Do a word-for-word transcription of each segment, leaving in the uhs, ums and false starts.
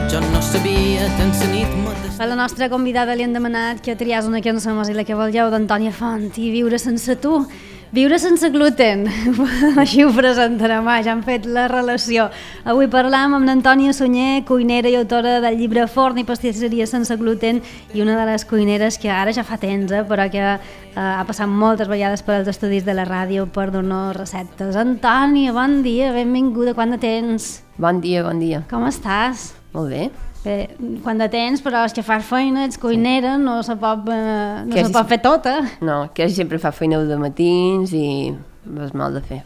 Jo no sabia tant la nit mateix. A la nostra convidada li han demanat que triàs una cançó i la que volgeu d'Antònia Font i Viure sense tu. Viure sense gluten, així ho presentarem, ja han fet la relació. Avui parlam amb l'Antònia Sunyer, cuinera i autora del llibre Forn i pastisseria sense gluten i una de les cuineres que ara ja fa temps, eh, però que eh, ha passat moltes vegades per als estudis de la ràdio per donar receptes. Antònia, bon dia, benvinguda, quant de temps? Bon dia, bon dia. Com estàs? Molt bé. Bé, quant de temps, però és que fas feina, ets cuinera, sí. no se pot, eh, no que se pot fer tota. No, que sempre fa feina de matins i és mal de fer.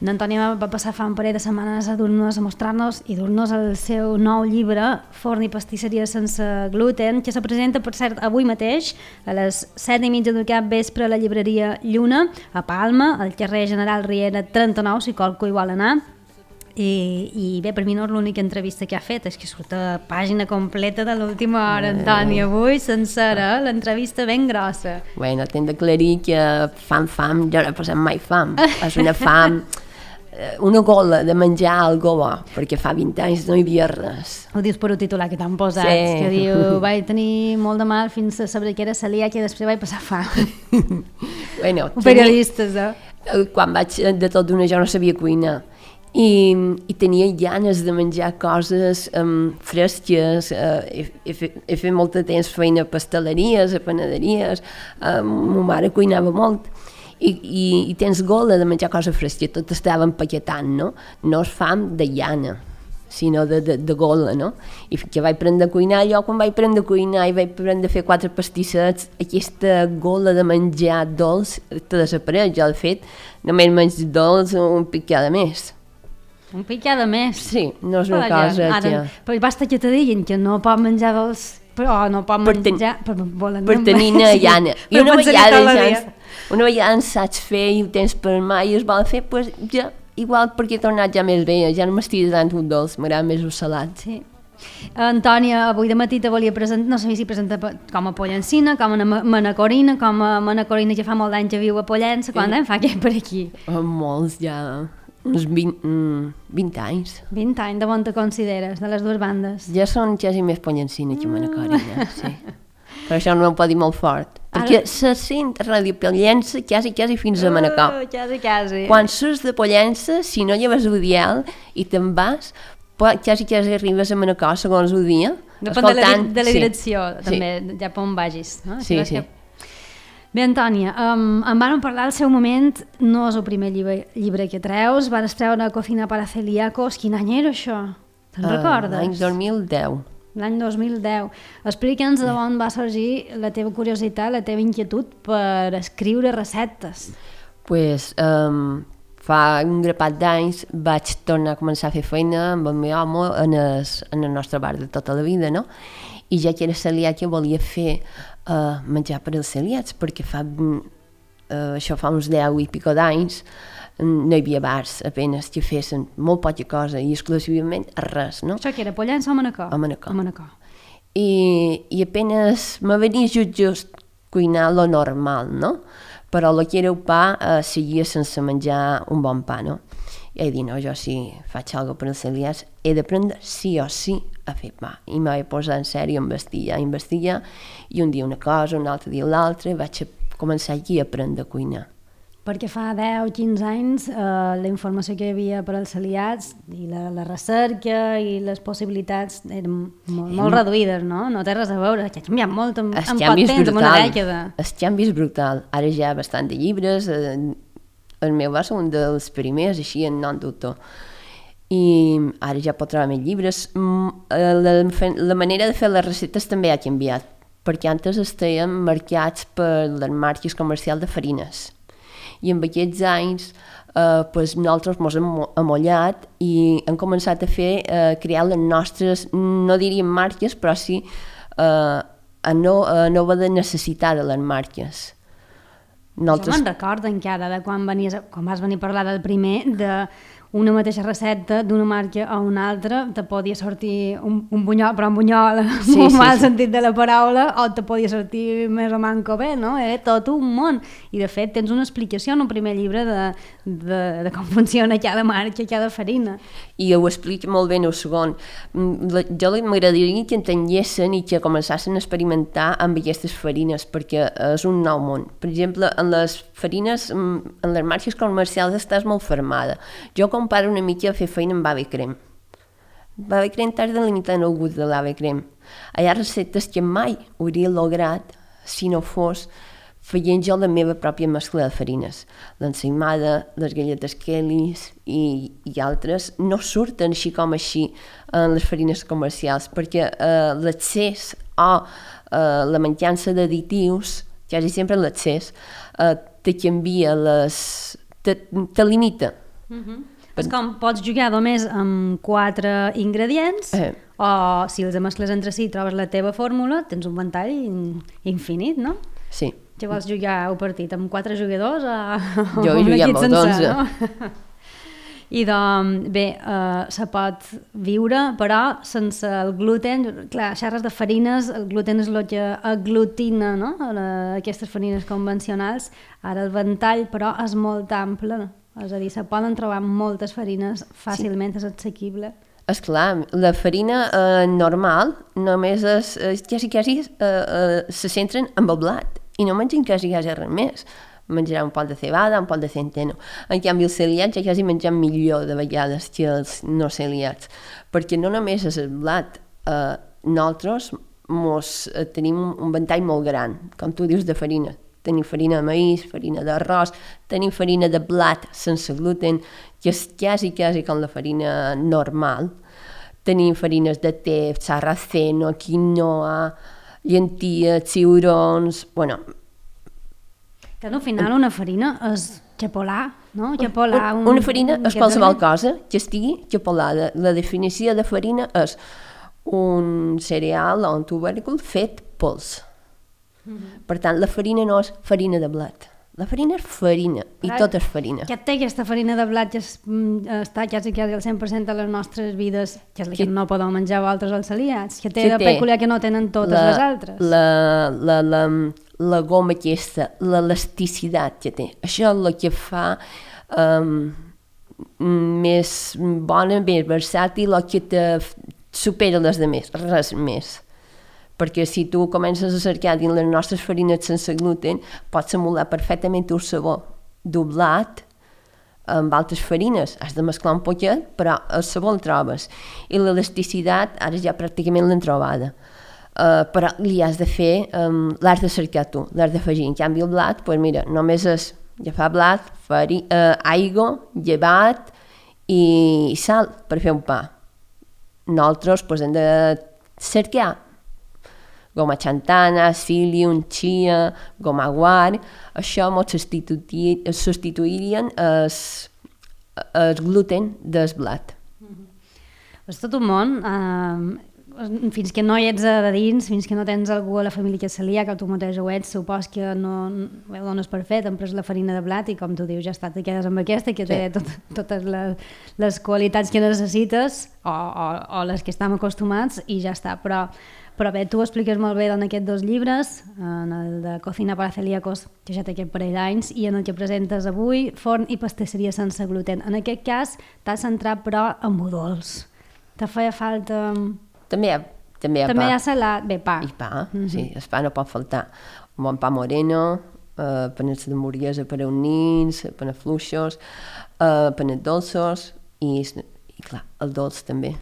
L'Antònia va passar fa un parell de setmanes a dur-nos, a mostrar-nos i dur-nos el seu nou llibre, Forn i pastisseria sense gluten, que se presenta, per cert, avui mateix, a les set i mitja del cap vespre a la llibreria Lluna, a Palma, al carrer General Riera trenta-nou, si qualcú hi vol anar. I, i bé, per mi no és l'única entrevista que ha fet, és que surt a pàgina completa de l'última hora, Antònia, avui sencera, l'entrevista ben grossa. Bueno, t'hem d'aclarir que fam, fam, jo no he passat mai fam, és una fam, una gola de menjar algo bo, perquè fa vint anys no hi havia res. Ho dius per un titular que t'han posat, sí. Que diu, vaig tenir molt de mal fins a saber que era celíac i després vaig passar fam. Bueno, periodistes, eh? Quan vaig de tot d'una jo no sabia cuinar. I, i tenia ganes de menjar coses um, fresques, uh, he, he, fet, he fet molt de temps feina a pasteleries, a panaderies, uh, ma mare cuinava molt, i, i, i tens gola de menjar coses fresques, tot estava empaquetant, no? No és fam de llana, sinó de, de, de gola, no? I que vaig aprendre a cuinar, jo quan vaig aprendre a cuinar i vaig aprendre a fer quatre pastissets, aquesta gola de menjar dolç te desapareix, jo de fet només menjo dolç un pic cada mes. Un picada més. Sí, no és una cosa ara, que... Però basta que te diguin que no pot menjar dolç, però no pot per menjar... Ten... Per, volen per tenir una llana. Sí, I una vegada, ja, una vegada en saps fer i ho tens per mà i es vol fer, doncs ja, igual perquè he tornat ja més bé, ja no m'estic tant un dolç, m'agrada més un salat. Sí. Antònia, avui de matí te volia presentar, no sé si presenta com a Pollancina, com a Manacorina, com a Manacorina que fa molt d'anys que viu a Pollença, quan sí. Fa què per aquí? Oh, molts ja... uns vint, vint anys. vint anys, de bon te consideres, de les dues bandes? Ja són quasi més Pollancina que Manacorina, sí. Però això no ho pot dir molt fort, perquè Ara... se sent a Ràdio Pollença quasi, quasi fins a Manacor. Uh, quasi, quasi. Quan surts de Pollença, si no lleves el dial i te'n vas, quasi, quasi arribes a Manacor segons el dia. Depèn de la, de la direcció, sí. També, sí. Ja per on vagis. No? Sí, sí. Que... Bé, Antònia, um, em van parlar al seu moment, no és el primer llibre, llibre que treus, van treure Cocina para celíacos. Quin any era això? Te'n uh, recordes? L'any dos mil deu. L'any dos mil deu. Explica'ns de on va sorgir la teva curiositat, la teva inquietud per escriure receptes. Doncs pues, um, fa un grapat d'anys vaig tornar a començar a fer feina amb el meu home en el, en el nostre bar de tota la vida, no? I ja que era celíaca volia fer uh, menjar per als celíacs, perquè fa, uh, això fa uns deu i pico d'anys no hi havia bars apenas que fessin molt poca cosa i exclusivament res, no? Això que era Pollença o Manacor? A Manacor. A Manacor. I, i apenas me venia just, just cuinar lo normal, no? Però el que era el pa uh, seguia sense menjar un bon pa, no? I he dit, no, jo si faig alguna cosa per als celíacs he d'aprendre sí o sí a fer pa. I m'he posat en sèrio a investigar, a investigar, i un dia una cosa, un altre dia l'altra, i vaig començar aquí a aprendre a cuinar. Perquè fa deu o quinze anys eh, la informació que hi havia per als celíacs i la, la recerca i les possibilitats eren molt, molt reduïdes, no? No té res a veure, que ha canviat molt en, en poc temps, en una dècada. El canvi és brutal. Ara ja hi ha bastant de llibres, eh, el meu va ser un dels primers, així en nom d'autor. I ara ja pot trobar més llibres. La, la manera de fer les receptes també ha canviat, perquè antes estàvem marcats per les marques comercials de farines. I en aquests anys eh, pues nosaltres ens hem amollat i hem començat a fer, eh, crear les nostres, no diríem marques, però sí eh, a no, a no haver de necessitar de les marques. Nosaltres... Jo me'n recordo encara de quan, venies, quan vas venir a parlar del primer, de una mateixa recepta d'una marca a una altra te podia sortir un, un bunyol, però un bunyol en Sí, un sí, mal sí. sentit de la paraula, o te podia sortir més o manco bé, no? Eh? Tot un món. I de fet tens una explicació en el primer llibre de, de, de com funciona cada marca, cada farina. I ho explica molt bé en el segon. Mm, la- Jo li- m'agradaria que entenguessin i que començassin a experimentar amb aquestes farines, perquè és un nou món. Per exemple, en les farines, mm, en les marques comercials estàs molt fermada. Jo comparo una mica a fer feina amb ave crem. L'ave crem t'has de limitar en el gust de l'ave crem. Hi ha receptes que mai hauria lograt si no fos veient jo la meva pròpia mescla de farines. L'ensaïmada, les galletes Kellys i, i altres no surten així com així en les farines comercials, perquè eh, l'accés o eh, la mancança d'additius, quasi sempre l'accés, eh, te canvia les... te, te limita. És com pots jugar només amb quatre ingredients, Eh. o si els mescles entre si i trobes la teva fórmula, tens un ventall in- infinit, no? Sí. Si vols jugar un partit amb quatre jugadors o, Jo o he un jugat equip amb sencer, onze. no? I doncs, bé, eh, se pot viure, però sense el gluten. Clar, xerres de farines, el gluten és el que aglutina, no? La, aquestes farines convencionals. Ara el ventall, però, és molt ample, no? És a dir, se poden trobar moltes farines fàcilment, sí. És assequible. Esclar, la farina eh, normal només és, eh, quasi, quasi eh, eh, se centren en el blat i no mengen quasi, quasi res més. Menjarà un poc de cebada, un poc de centeno. En canvi, els celiats ja quasi mengen millor de vegades que els no celiats, perquè no només és el blat, eh, nosaltres mos, eh, tenim un ventall molt gran, com tu dius, de farina. Tenim farina de maïs, farina d'arròs, tenim farina de blat sense gluten, que és quasi, quasi com la farina normal. Tenim farines de te, sarraceno, quinoa, llenties, ciurons... Bueno, Que al final una farina és xapolà, no? Xapolà, un, una farina és que qualsevol també- cosa que estigui xapolada. La definició de farina és un cereal o un tubèrcul fet pols. Per tant, la farina no és farina de blat. La farina és farina, i Clar, tot és farina. Que té aquesta farina de blat que es, mm, està quasi, quasi al cent per cent de les nostres vides, que és la que, Que- no podeu menjar vosaltres als celiats, que té Que de té peculiar que no tenen totes la, les altres. La, la, la, la goma aquesta, l'elasticitat que té. Això és el que fa um, més bona, més versàtil, o que te f- supera les demés, res més. Perquè si tu comences a cercar dins les nostres farines sense gluten, pots emular perfectament el sabor d'un blat amb altres farines. Has de mesclar un poquet, però el sabor el trobes. I l'elasticitat, ara ja pràcticament l'hem trobada. Uh, però li has de fer, um, l'has de cercar tu, l'has d'afegir. En canvi el blat, doncs mira, només és agafar blat, fari, uh, aigua, llevat i sal per fer un pa. Nosaltres doncs, hem de cercar goma xantana, psyllium, chia, goma guar, això ens substituir, substituirien el, el gluten del blat. És tot un món. Eh, fins que no hi ets a dins, fins que no tens algú a la família que és celíac, que tu mateix ho ets, supos que no, no ho dones per fet, hem pres la farina de blat i com tu dius, ja està, te quedes amb aquesta, que té Sí. tot, totes les, les qualitats que necessites o, o, o les que estem acostumats i ja està. Però, però bé, tu ho expliques molt bé en aquests dos llibres, en el de Cocina para celíacos, que ja té aquest parell d'anys, i en el que presentes avui, Forn i pastisseria sense gluten. En aquest cas t'has centrat però en budolç. Te feia falta... També hi ha, també hi ha També pa. hi ha salat, bé, pa. I pa, mm -hmm. sí, el pa no pot faltar. Un bon pa moreno, eh, panets de morguesa per a uns nins, panets fluixos, eh, panets dolços i, i clar, el dolç també.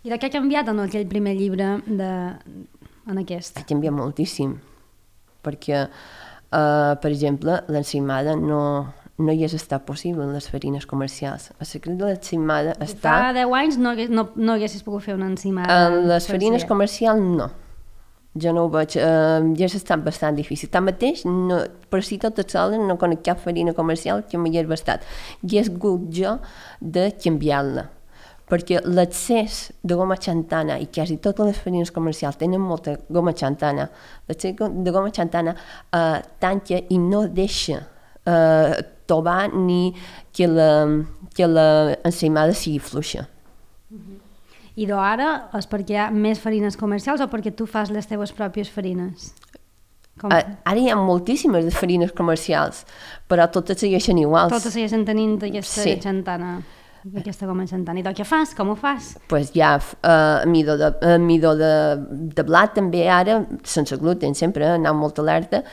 I de què ha canviat en aquell primer llibre de... en aquest? Ha canviat moltíssim, perquè, eh, per exemple, l'ensaïmada no, no hi és estat possible en les farines comercials. El secret de l'ensaïmada està... Fa deu anys no, hagués, no, no haguessis pogut fer una ensaïmada. En les sencera. farines comercials no. Jo no ho veig, eh, ja s'ha estat bastant difícil. Tanmateix, no, per si tot sola no conec cap farina comercial que m'hi hagi bastat. I he hagut jo de canviar-la, perquè l'accés de goma xantana, i quasi totes les farines comercials tenen molta goma xantana, l'accés de goma xantana eh, tanca i no deixa eh, tovar ni que la, que la ensaïmada sigui fluixa. I d'ara és perquè hi ha més farines comercials o perquè tu fas les teves pròpies farines? Com? Ara hi ha moltíssimes de farines comercials, però totes segueixen iguals. Totes segueixen tenint aquesta Sí. xantana, aquesta goma xantana. I tu què fas? Com ho fas? Pues hi ha uh, midó, de, uh, midó de, de blat també ara, sense gluten sempre, anant molt alerta,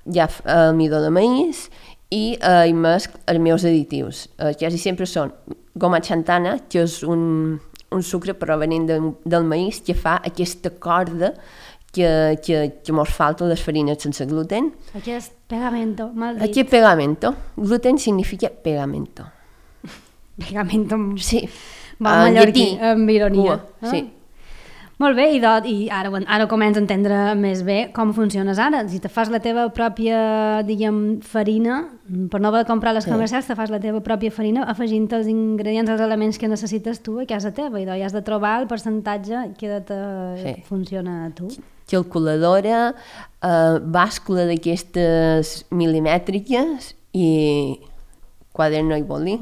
hi ha uh, midó de maïs i uh, hi mesc els meus additius. Uh, quasi sempre són goma xantana, que és un, un sucre provenent de, del maïs que fa aquesta corda que, que, que mos falta les farines sense gluten. Aquest pegamento, mal dit. Aquí pegamento. Gluten significa pegamento. Pegamento. Sí. Va, En mallorquí, llatí. amb ironia. Cua, sí. Molt bé, i, do, i ara, ara començo a entendre més bé com funciones ara. Si te fas la teva pròpia, diguem, farina, per no haver de comprar les Sí. comercials, te fas la teva pròpia farina afegint els ingredients, els elements que necessites tu a casa teva, i doncs has de trobar el percentatge que te Sí. funciona a tu. Calculadora, eh, bàscula d'aquestes milimètriques i quaderno i boli,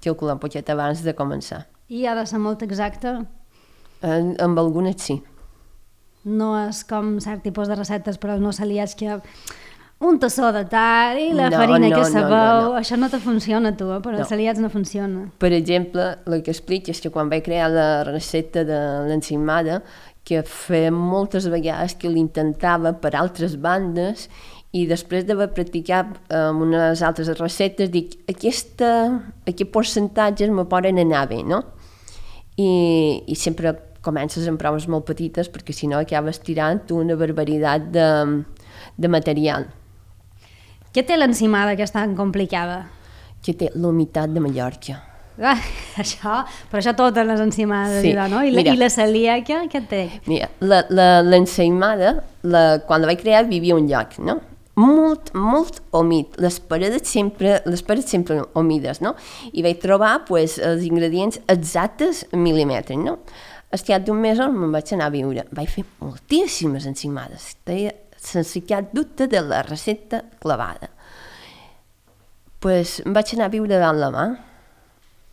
calcular un poquet abans de començar. I ha de ser molt exacte. En, amb algunes sí. No és com cert tipus de receptes per als meus aliats que un tassó de tal i la No, farina no, que no, sabeu, no, no. això no te funciona a tu, eh? Per als No. aliats no funciona. Per exemple, el que explico és que quan vaig crear la recepta de l'ensaïmada, que feia moltes vegades que l'intentava per altres bandes i després d'haver practicat amb unes altres receptes dic, aquesta, aquests percentatges me poden anar bé, no? I, i sempre comences amb proves molt petites perquè si no acabes tirant una barbaritat de, de material. Què té l'encimada que és tan complicada? Que té la humitat de Mallorca. Ah, això, però això totes les encimades, Sí, sí. no? I la, mira. I la celíaca, què té? Mira, la, la, l'ensaïmada, la, quan la vaig crear vivia a un lloc, no? Molt, molt humit. Les paredes sempre, les paredes sempre humides, no? I vaig trobar pues, els ingredients exactes en mil·límetres, no? Al cap d'un mes me'n vaig anar a viure. Vaig fer moltíssimes encimades. Deia, sense cap dubte de la recepta clavada. Pues em vaig anar a viure davant la mà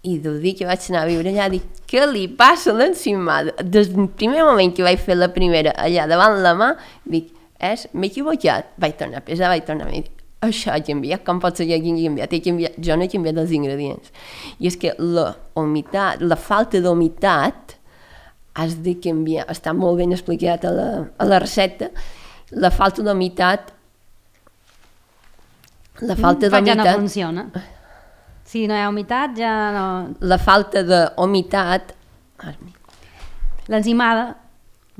i del dia que vaig anar a viure allà dic, què li passa a l'encimada? Des del primer moment que vaig fer la primera allà davant la mà, dic, és, m'he equivocat. Vaig tornar a pesar, vaig tornar a dir, això ha canviat, com pot ser que hagi canviat? He canviat? Jo no he canviat els ingredients. I és que la humitat, la falta d'humitat has de canviar, està molt ben explicat a la, a la recepta, la falta d'humitat la falta Fa ja d'humitat no funciona. Si no hi ha humitat, ja no... la falta d'humitat L'enzimada,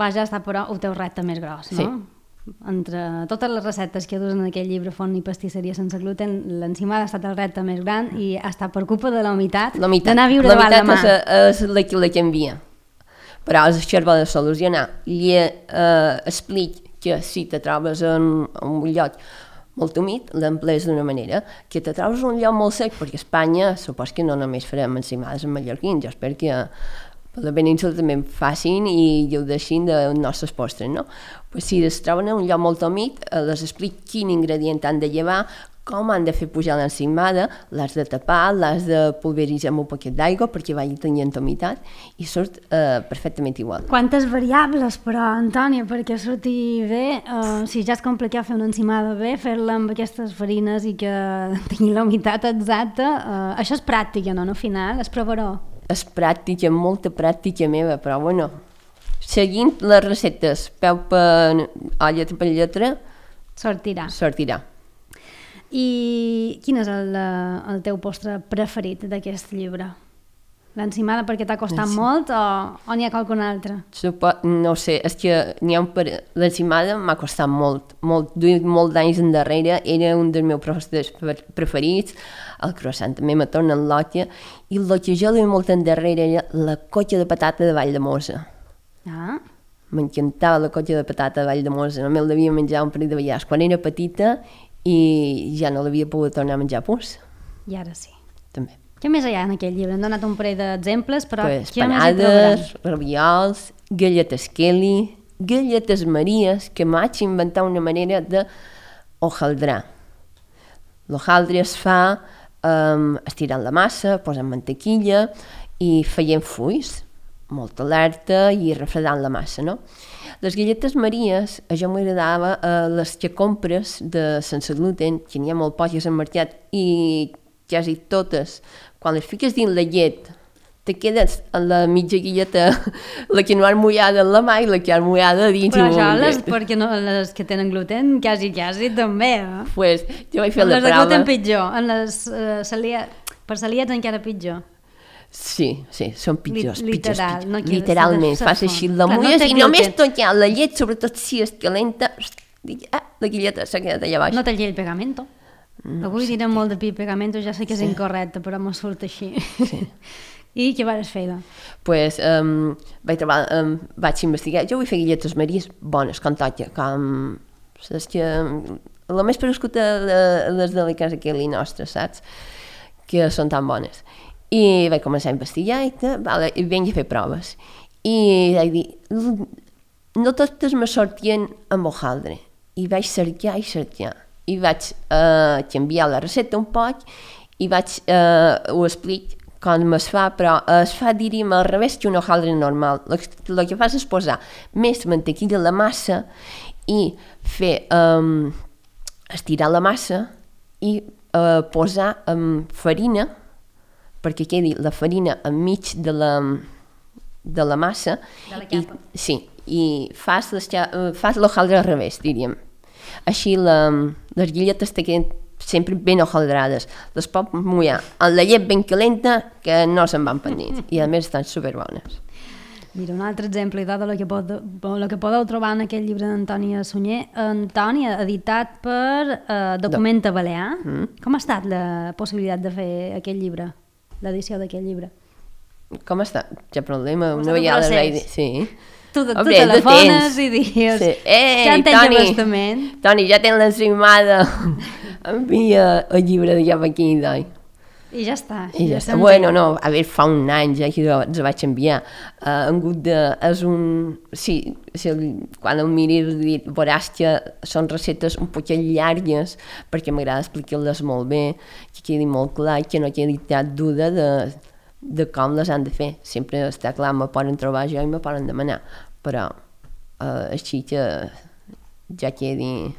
vaja, està però el teu repte més gros, no? Sí. Entre totes les receptes que dus en aquell llibre Forn i pastisseria sense gluten, l'enzimada ha estat el repte més gran i ha estat per culpa de la humitat, d'anar a viure davant la mà. La humitat és, és la que la canvia. Però és això de solucionar. I eh, explic que si te trobes en, en un lloc molt humit, l'emplees d'una manera, que te trobes un lloc molt sec, perquè a Espanya supos que no només farem encimades en mallorquins, jo espero que per la península també en facin i ho deixin dels nostres postres, no? Pues si es troben en un lloc molt humit, eh, les explic quin ingredient han de llevar, com han de fer pujar l'encimada, l'has de tapar, l'has de pulveritzar amb un poquet d'aigua perquè vagi tenint humitat i surt eh, perfectament igual. Quantes variables, però, Antònia, perquè surti bé, eh, si ja és complicat fer una encimada bé, fer-la amb aquestes farines i que tingui la humitat exacta, eh, això és pràctica, no? No, al final, és provaró. És pràctica, molta pràctica meva, però bueno, seguint les receptes, peu per olla per lletra, Sortirà. sortirà. I quin és el, eh, el teu postre preferit d'aquest llibre? L'encimada perquè t'ha costat Sí. molt o, o n'hi ha qualcun altre? Supo, no sé, és que n'hi ha un per... l'encimada m'ha costat molt, molt, duia molt d'anys endarrere, era un dels meus postres preferits, el croissant també me torna en l'òtia, i el que jo duia molt endarrere era la cotxa de patata de Valldemossa. Ah, M'encantava la cotxa de patata de Valldemossa, només l'havia menjat un parell de vegades quan era petita i ja no l'havia pogut tornar a menjar pus, i ara sí. també. Què més hi ha en aquell llibre? Hem donat un parell d'exemples, però Pues, què més hi trobaràs? panades, raviols, galletes Kelly, galletes Maries, que m'haig inventat una manera de hojaldrar. L'hojaldre es fa um, estirant la massa, posant mantequilla i feient fulls, molt alerta i refredant la massa, no? Les galletes maries, a jo m'agradava eh, les que compres de sense gluten, que n'hi ha molt poques al mercat i quasi totes, quan les fiques dins la llet, te quedes amb la mitja galleta, la que no ha mullada en la mà i la que ha mullada dins. Però això, les, perquè no, les que tenen gluten, quasi, quasi també, eh? Pues, jo vaig fer en la les de prova. gluten pitjor, en les uh, celia... per celiats encara pitjor. Sí, sí, són pitjors, Li- pitjors, literal, pitjors. no quiero Literalment, ser- fas ser així, font. la Clar, no mulles té i només gluten. tocar la llet, sobretot si és calenta, ah, la galleta s'ha quedat allà baix. No té el pegamento. No Avui sé direm molt de pi pegamento, ja sé que és Sí. incorrecte, però m'ho surt així. Sí. I què vas fer? Pues, um, vaig, trobar, um, vaig investigar, jo vull fer galletes maries bones, com toca, com saps que la més prescuta de les de la casa que li nostra, saps? Que són tan bones. I vaig començar a investigar i, tal, vale, i vinc a fer proves. I vaig dir, no totes me sortien amb hojaldre. I vaig cercar i cercar. I vaig eh, canviar la recepta un poc i vaig, eh, ho explico com es fa, però es fa, diríem, al revés que un hojaldre normal. El que fas és posar més mantequilla a la massa i fer um, estirar la massa i uh, posar um, farina perquè quedi la farina enmig de la, de la massa. De la I, capa. sí, i fas, les, uh, fas l'hojaldre al revés, diríem. Així la, les galletes te queden sempre ben hojaldrades. Les pot mullar amb la llet ben calenta que no se'n van pendents i a més estan superbones. Mira, un altre exemple de lo que, pod, lo que podeu trobar en aquest llibre d'Antònia Sunyer. Antònia, editat per eh, Documenta Balear. Mm. Com ha estat la possibilitat de fer aquest llibre, l'edició d'aquest llibre? Com està? Ja problema, Com una està el vegada procés? vaig dir... Sí. Tu, tu Hombre, de telefones temps. i dius, Sí. Ei, ja en tens Toni, abastament. Toni, ja tens l'ensaïmada. Envia el llibre de ja per aquí, doi. I ja està. I ja està. s'entén. Bueno, no, a veure, fa un any ja que els vaig enviar. Uh, en hagut de... És un... Sí, si el, quan el miris veuràs que són receptes un poquet llargues perquè m'agrada explicar-les molt bé, que quedi molt clar i que no quedi cap duda de, de com les han de fer. Sempre està clar, me poden trobar jo i me poden demanar, però uh, així que ja quedi...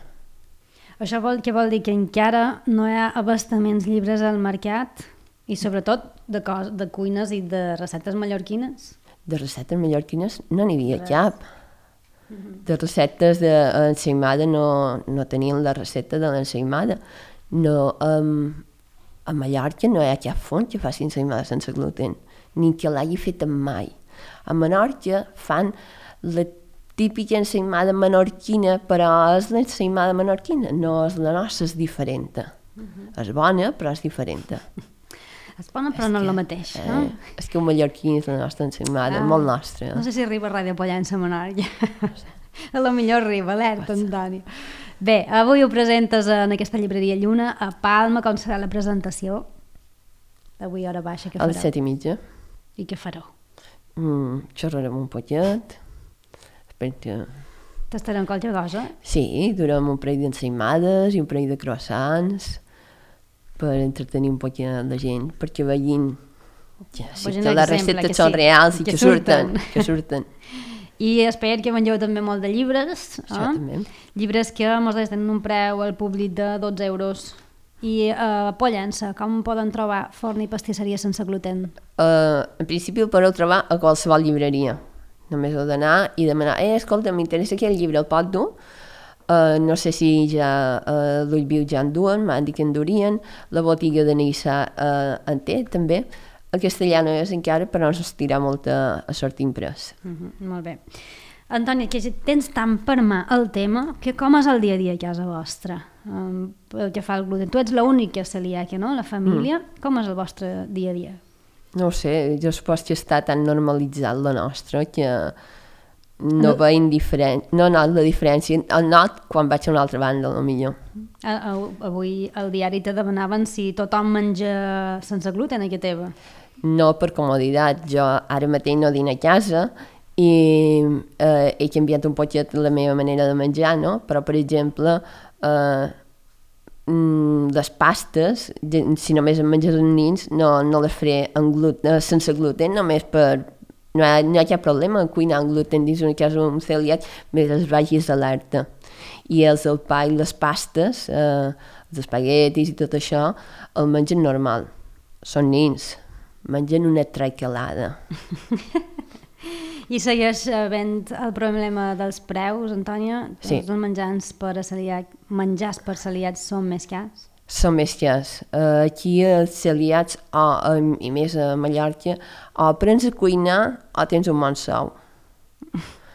Això vol, què vol dir? Que encara no hi ha abastaments llibres al mercat i sobretot de, cos, de cuines i de receptes mallorquines? De receptes mallorquines no n'hi havia cap. De receptes d'ensaïmada no, no tenien la recepta de l'ensaïmada. No, um, a Mallorca no hi ha cap font que faci ensaïmada sense gluten, ni que l'hagi fet mai. A Menorca fan la típica ensaïmada menorquina, però és l'ensaïmada menorquina, no és la nostra, és diferent. Uh-huh. És bona, però és diferent. És bona, però no és el mateix, Eh, no? és que un mallorquí és la nostra ensaïmada, Ah, molt nostra. No sé si arriba a Ràdio Pollença a Menorca. A lo millor arriba, alerta, Antoni. Bé, avui ho presentes en aquesta llibreria Lluna a Palma. Com serà la presentació? Avui hora baixa, què A fareu? les set i mitja. I què fareu? Mm, xerrarem un poquet. Perquè... Tastarem qualque cosa? Sí, durem un parell d'ensaïmades i un parell de croissants per entretenir un poquet la gent, perquè vegin ja, sí, Vegin que les l'exemple, receptes que són sí, reals i que que, surten. surten. que surten. I espero que vengeu també molt de llibres. Això Eh? també. Llibres que mos tenen un preu al públic de dotze euros. I a uh, Pollença, com poden trobar forn i pastisseria sense gluten? Uh, en principi el podeu trobar a qualsevol llibreria. Només heu d'anar i demanar, eh, escolta, m'interessa aquest llibre, el pot dur? Uh, no sé si ja uh, l'Ullviu ja en duen, m'han dit que en durien, la botiga de Nissa uh, en té també, el castellà no és encara, però ens estirà molt a, a sort imprès. Uh -huh, molt bé. Antònia, que tens tant per mà el tema, que com és el dia a dia a casa vostra? Um, el que fa el gluten. Tu ets l'única celíaca, no?, la família. Mm. Com és el vostre dia a dia? No ho sé, jo supos que està tan normalitzat la nostra que no, No. veig indiferent, no not la diferència, el not quan vaig a una altra banda, a millor. A, a, avui al diari te demanaven si tothom menja sense gluten a casa teva. No per comoditat, jo ara mateix no dino a casa i eh, he canviat un poquet la meva manera de menjar, no? Però, per exemple, eh, mm, les pastes, de, si només en menges els nins, no, no les faré en gluten, sense gluten, només per... No hi ha, no hi ha cap problema cuinar amb gluten dins una casa amb un celiac, mentre els vagis alerta. I els el pa i les pastes, eh, els espaguetis i tot això, el mengen normal. Són nins, mengen una traiquelada. I segueix havent el problema dels preus, Antònia? Sí. Els menjars per a celíac, menjars per celiacs són més cars? Són més cars. Uh, aquí els celiats, o, um, i més a Mallorca, o aprens a cuinar o tens un bon sou.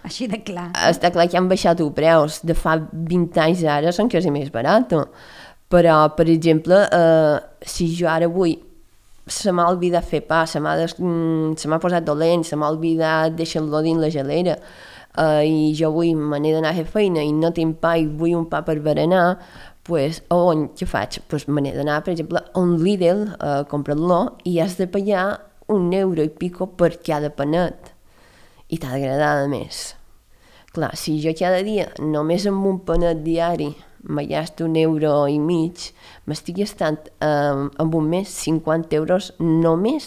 Així de clar. Està clar que han baixat els preus. De fa vint anys ara són quasi més barat. Però, per exemple, uh, si jo ara vull se m'ha oblidat fer pa, se m'ha, des... se m'ha posat dolent, se m'ha oblidat deixar-lo dins la gelera, uh, i jo vull, me n'he d'anar a fer feina i no tinc pa i vull un pa per berenar, pues, on, què faig? Pues me n'he d'anar, per exemple, a un Lidl a uh, comprar-lo i has de pagar un euro i pico per cada panet. I t'ha d'agradar més. Clar, si jo cada dia, només amb un panet diari, me gasto un euro i mig, m'estic gastant eh, en un mes cinquanta euros només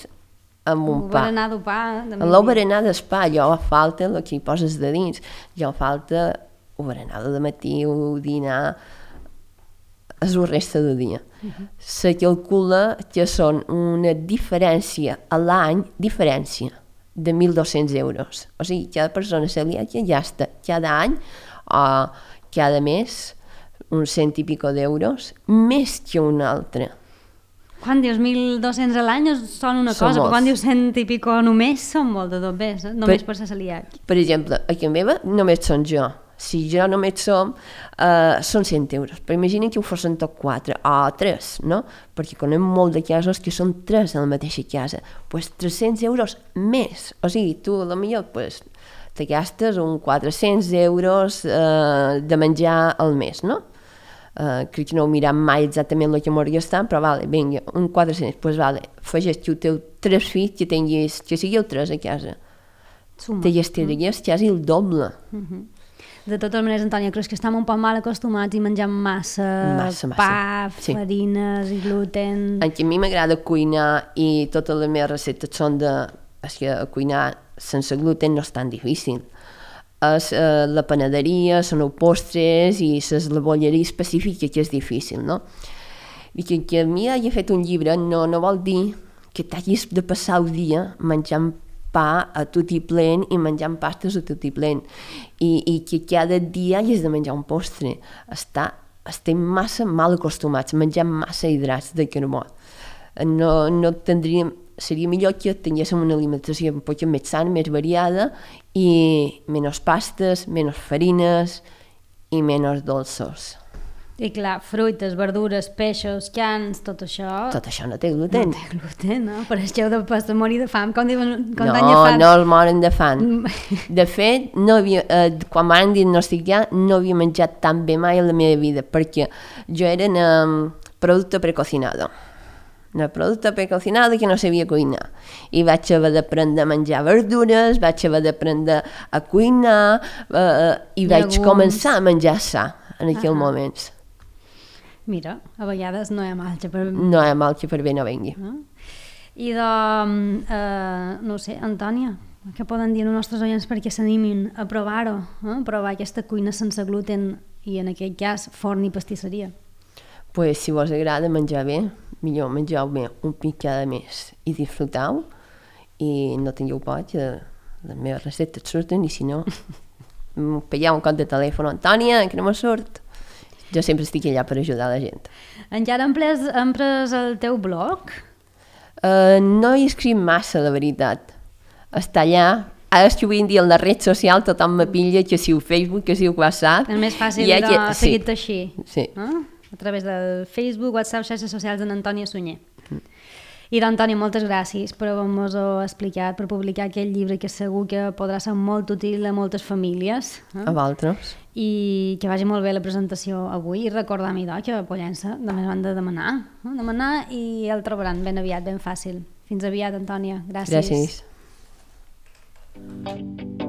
amb un pa. Un berenar de pa. En el berenar del pa, jo falta el que hi poses de dins, jo falta el berenar de matí, el dinar, és la resta del dia. Uh-huh. Se calcula que són una diferència a l'any, diferència de mil dos-cents euros. O sigui, cada persona celíaca gasta cada any o cada mes uns cent i pico d'euros, més que un altre. Quan dius mil dos-cents a l'any són una Són cosa, molts. però quan dius cent i pico només són molt de dos més, eh? Només Per- per ser celíac. Per exemple, a casa meva només són jo. Si jo només som, uh, són cent euros. Però imagina que ho fossin tot quatre, o tres, no? Perquè conem molt de casos que són tres a la mateixa casa. Doncs pues tres-cents euros més. O sigui, tu a la millor pues, te gastes un quatre-cents euros uh, de menjar al mes, no? Uh, crec que no ho miram mai exactament el que m'ho gastat, però vale, vinga, un quatre-cents, doncs pues vale, afegeix que ho teu tres fills que tinguis, que sigueu tres a casa. Suma. Te gastaries quasi el doble. Uh-huh. De totes maneres, Antònia, creus que estem un poc mal acostumats i menjam massa, Massa, massa. pa, Sí. farines i gluten... En que a mi m'agrada cuinar i totes les meves receptes són de... És que cuinar sense gluten no és tan difícil. És eh, la panaderia, són els postres i la bolleria específica que és difícil, no? I que, que a mi hagi fet un llibre no, no vol dir que t'hagis de passar el dia menjant pa a tot i plen i menjant pastes a tot i plen. I, i que cada dia hagis de menjar un postre. Està, estem massa mal acostumats, menjant massa hidrats de carbó. No, no tindríem... Seria millor que tinguéssim una alimentació un poc més sana, més variada i menys pastes, menys farines i menys dolços. I clar, fruites, verdures, peixos, cans, tot això... Tot això no té gluten. No té gluten, no? Per això heu de pas de morir de fam, com diuen com No, tanya fan. no el moren de fam. De fet, no havia, eh, quan m'han diagnosticar no havia menjat tan bé mai a la meva vida, perquè jo era en um, producte precocinado. Un producte precocinado que no sabia cuinar. I vaig haver d'aprendre a menjar verdures, vaig haver d'aprendre a cuinar eh, i vaig Llegums. començar a menjar sa en aquells Ah. moments. Mira, a vegades no hi ha mal, per... No hi ha mal que per bé no vengui. No? I de, eh, no ho sé, Antònia, què poden dir els nostres oients perquè s'animin a provar-ho, eh? A provar aquesta cuina sense gluten i en aquest cas forn i pastisseria? Pues, si vos agrada menjar bé, millor menjau bé un pic cada mes i disfrutau i no tingueu por que les meves receptes surten i si no, pegeu un cop de telèfon, Antònia, que no me surt. Jo sempre estic allà per ajudar la gent. Encara han pres, han pres el teu blog? Uh, no hi escric massa, la veritat. Està allà. Ara és que avui en dia en la red social tothom me pilla que si ho Facebook, que si ho WhatsApp. És més fàcil I de que... seguir-te així. Sí. Eh? A través del Facebook, WhatsApp, xarxes socials d'en Antònia Sunyer. Mm. I d'Antònia, moltes gràcies per haver-nos explicat, per publicar aquest llibre que segur que podrà ser molt útil a moltes famílies. Eh? A vosaltres. I que vagi molt bé la presentació avui i recordar-me idò, que a Pollença també han de demanar. Eh? Demanar i el trobaran ben aviat, ben fàcil. Fins aviat, Antònia. Gràcies. Gràcies.